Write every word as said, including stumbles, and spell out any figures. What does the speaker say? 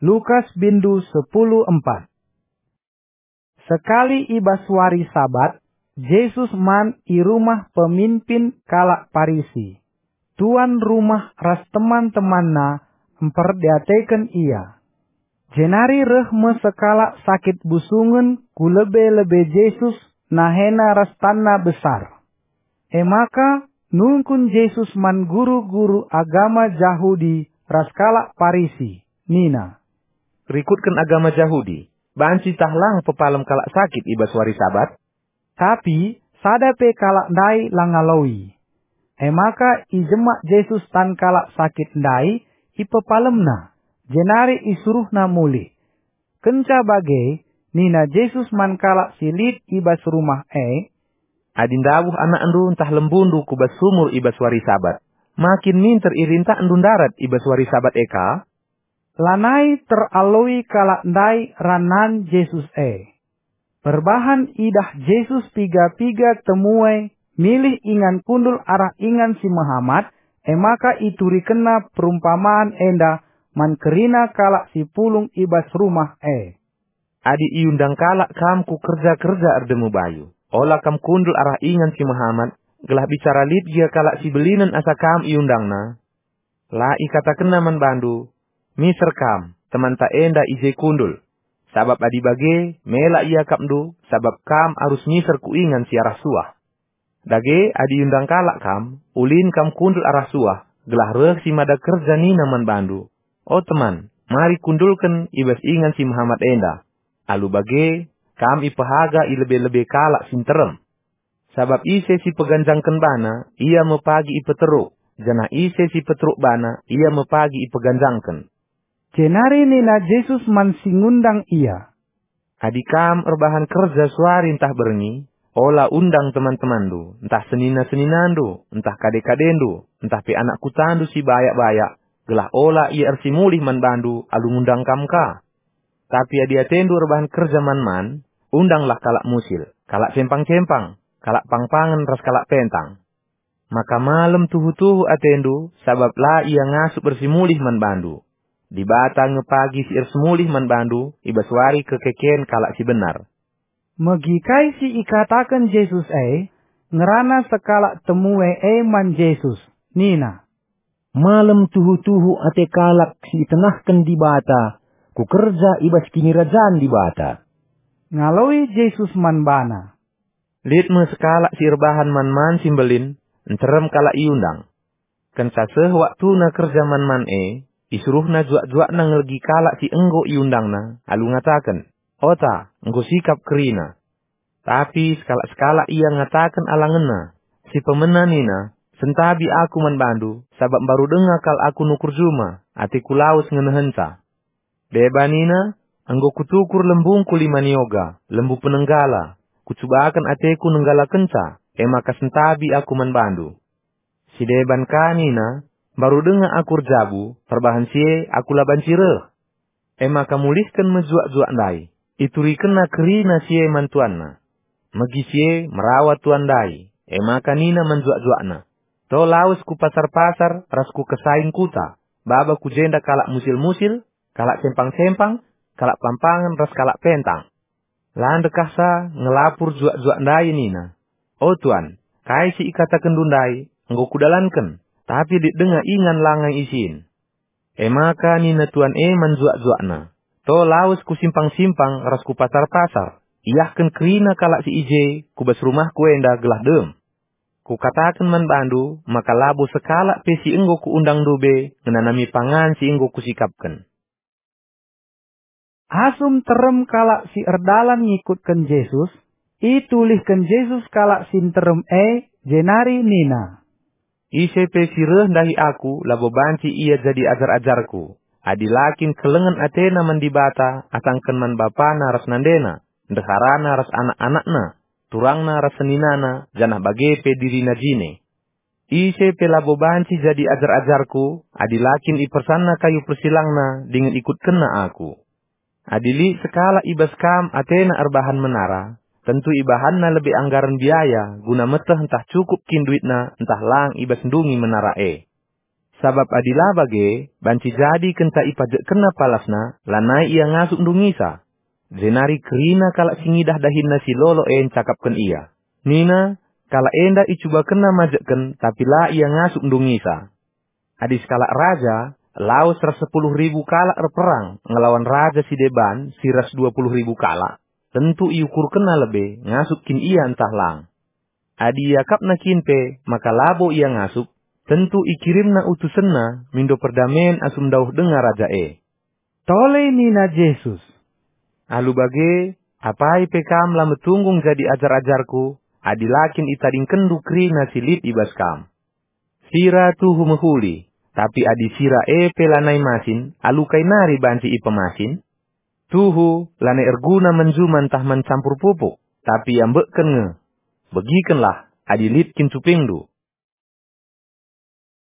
Lukas bindu sepuluh empat. Sekali i bas wari Sabat, Jesus man i rumah pemimpin kalak Parisi. Tuan rumah ras teman-temanna mperdiateken ia. Jenari reh me sekalak sakit busungen ku lebe-lebe Jesus, nahena ras tanna besar. E maka nungkun Jesus man guru-guru agama Jahudi ras kalak Parisi, nina, "Rikutken agama Jahudi, banci tah lang pepalem kalak sakit i bas wari Sabat?" Tapi sada pe kalak ndai la ngaloi. E maka ijemak Jesus tan kalak sakit ndai, ipepalemNa, jenari isuruhNa mulih. Kenca bage, nina Jesus man kalak si lit i bas rumah e, "Adi ndabuh anakndu ntah lembundu ku bas sumur i bas wari Sabat, ma kin minter irintakndu ndarat i bas wari Sabat e ka?" Lanai teraloi kalak ndai ranan Jesus e. Perbahan idah Jesus piga-piga temue milih ingan kundul arah ingan si mehamat, e maka iturikenNa perumpaman enda man kerina kalak si pulung i bas rumah e. "Adi iundang kalak kam ku kerja-kerja erdemu bayu, ola kam kundul arah ingan si mehamat, gelah bicara lit gia kalak si belinen asa kam iundangna. La ikatakenna man bandu, 'Miser kam, temanta enda i je kundul.' Sabap adi bage, mela iakapndu, sabap kam arus miser ku ingan si arah suah. Dage, adi iundang kalak kam, ulin kam kundul arah suah, gelah reh si mada kerja nina man bandu, 'O teman, mari kundulken i bas ingan si mehamat enda.' Alu bage, kam ipehaga i lebe-lebe kalak si nterem. Sabap ise si peganjangken bana, ia me pagi ipeteruk, janah ise si peteruk bana, ia me pagi ipeganjangken." Jenari nina Jesus man si ngundang ia, "Adi kam erbahan kerja suari ntah berngi, ola undang teman-temanndu, ntah senina-seninandu, ntah kade-kadendu, ntah pe anak kutandu si bayak-bayak, gelah ola ia ersimulih man bandu alu ngundang kam ka. Tapi adi atendu erbahan kerja man-man, undanglah kalak musil, kalak cempang-cempang, kalak pangpangen ras kalak pentang. Maka malem tuhu-tuhu atendu, sabap la ia ngasup ersimulih man bandu. Dibata nge pagi si ersimulih man bandu i bas wari kekeken kalak si benar." Megi kai si ikataken Jesus e, ngerana sekalak temue e man Jesus, nina, "Malem tuhu-tuhu ate kalak si itengahken Dibata ku kerja i bas Kinirajan Dibata." Ngaloi Jesus man bana, "Lit me sekalak si erbahan man-man si mbelin, nterem kalak iundang. Kenca seh waktuna kerja man-man e, isuruhna juak-juakna ngelegi kalak si enggo iundangna, alu ngataken, 'Ota, enggo sikap kerina.' Tapi sekalak-sekalak ia ngataken alangenna, si pemena nina, 'Sentabi aku man bandu, sabap mbaru denga kal aku nukur juma, ateku lawes ngenehenca.' Deba nina, 'Enggo kutukur lembungku lima nioga, lembu penenggala, kucubaken ateku nenggalakenca, e maka sentabi aku man bandu.' Si deban ka nina, 'Mbaru denga aku erjabu, perbahan si e aku la banci reh.' E maka mulihken me juak-juak ndai, iturikenna kerina si e man tuanna. Megi si e merawa tuan ndai, e maka nina man juak-juakna, 'To lawes ku pasar-pasar ras ku kesaing kuta, baba ku jenda kalak musil-musil, kalak cempang-cempang, kalak pampangen ras kalak pentang.' La ndekahsa ngelapur juak-juak ndai nina, 'O tuan, kai si ikatakenndu ndai enggo kudalanken, tapi lit denga ingan langai isin.' E maka nina tuan e man juak-juakna, 'To lawes ku simpang-simpang ras ku pasar-pasar, iahken kerina kalak si i je ku bas rumahku enda gelah dem. Kukataken man bandu maka labo sekalak pe si enggo kuundangndu be ngenanami pangan si enggo kusikapken.'" Asum terem kalak si erdalan ngikutken Jesus, itulihken Jesus kalak si nterem e, jenari nina, "Ise pe si reh ndahi Aku labo banci ia jadi ajar-ajarKu, adi la kin kelengen atena man Dibata asangken man bapana ras nandena, ndeharana ras anak-anakna, turangna ras seninana, janah bage pe dirina jine. Ise pe labo banci jadi ajar-ajarKu, adi la kin ipersanna kayu persilangna dingen ikutkenna Aku. Adi lit sekalak i bas kam atena erbahan menara, tentu ibahanna lebe anggaren biaya guna meteh ntah cukup kin duitna ntah lang i bas ndungi menara e. Sabap adi la bage, banci jadi kenca ipajekkenna palasna, lanai ia ngasup ndungisa. Jenari kerina kalak si ngidah dahinna si lolo e ncakapken ia. Nina, "Kalak enda icubakenna majekken, tapi la ia ngasup ndungisa." Adi sekalak raja, lawes ras sepuluh ribu kalak erperang ngelawan raja si deban si ras dua puluh ribu kalak, tentu iukurkenna lebe ngasup kin ia ntah lang. Adi iakapna kin pe maka labo ia ngasup, tentu ikirimna utusenna mindo perdamen asum ndauh denga raja e. Tole nina Jesus, "Alu bage, apai pe kam la metunggung jadi ajar-ajarKu, adi la kin itadingkenndu kerina si lit i bas kam. Sira tuhu mehuli, tapi adi sira e pe lanai masin, alu kai nari banci ipemasin? Tuhu lanai erguna man juma ntah man campur pupuk, tapi iambekken nge. Begikenlah, adi lit kin cupingndu,